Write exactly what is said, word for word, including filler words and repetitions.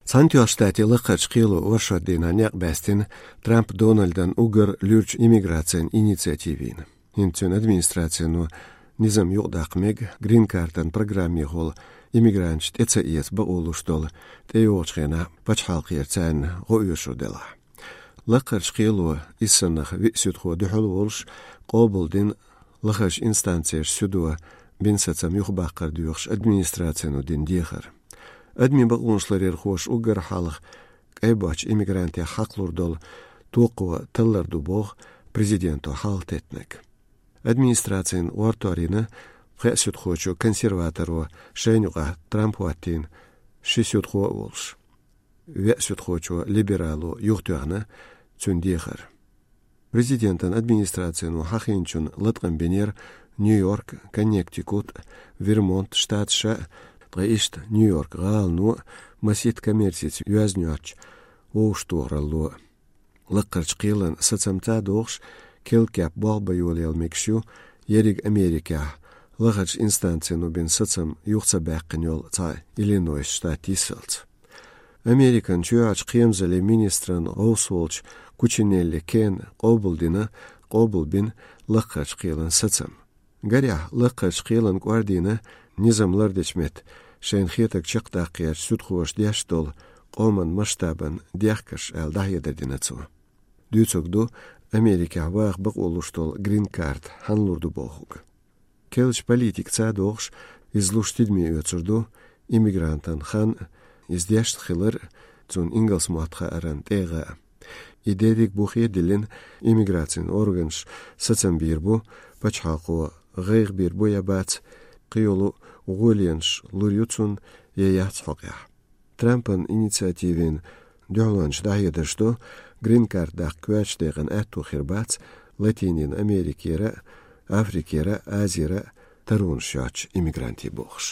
Цхьаьнатоьхначу Штатийн Лакхарчу кхело оршот дийнахь некъ баьстина Трамп Дональдан уггар луьрачу иммиграцин инициативина. ХӀинца цуьнан администрацино низам юкъадаккха мега, грин-картан программехула иммигранташ тӀе ца эца бакъо луш долу тӀейогӀучу хенахь пачхьалкхера царна гӀо оьшур делахь. Лакхарчу кхело, иза санна виъ суьдхо дуьхьал волуш, къобалдина лахарчу инстанцеш суьдо бина сацам юхабаккхар доьхуш администрацино дина дехар. Адамийн бакъонаш ларъярхоша уггар хьалха кӀайбоцчу иммигрантех хьакхалур долу токхо таллар ду боху президенто хьалхатеттинарг. Администрацин гӀортор йина пхеа суьдхочо консерваторо, шайна юкъахь Трамп хӀоттийна ши суьдхо а волуш. Веа суьдхочо либерало юхатоьхна цуьнан дехар. Президентан администрацино хьахийначунна латкъам бинера Нью-Йорк, Коннектикут, Вермонт штаташа, ткъа иштта Нью-Йорк гӀалано масийтта коммерцица йоьзна йоцучу вовшахтохаралло. Лакхарчу кхелан сацам ца дохуш, керла кеп болх бан йолаялла мегаш ю ерриг Америкехь лахарчу инстанцино бина сацам юха ца баьккхина йолу цхьа Иллинойс штат йисалц. Американ чоьхьарчу кхерамзаллин министран гӀовс волчу Кучинелли Кена къобалдина, къобалбина лакхарчу кхелан сацам. Гарехь, лакхарчу кхелан кӀордийна низам лардечу метта шайна хетарг чекхдаккхарчу суьдхоша деш долу къоман масштабан дехкаш аьлла дӀахьедар дина цо. Дуьйцург ду Америкехь ваха бакъо луш долу грин-карт хьанна лур ду бохург. Керлачу политика ца дохуш, иза луш тидаме оьцур ду иммигрантан хан, иза дешна хилар, цунна ингалс мотт хааран тӀегӀа. И дерриг бухе а диллина, иммиграцин органаш сацам бийр бу, пачхьалкхо гӀайгӀа бийр бу я бац, кхийолу гӀоленаш лур ю цунна я яц хьокъехь. Трампан инициативин дуьхьалончаш дӀахьедарш ду, грин-карт даккха коьртачу декъана аьтто хир бац Латинин Америкера, Африкера, Азера таронаш йоцучу иммигрантийн бохуш.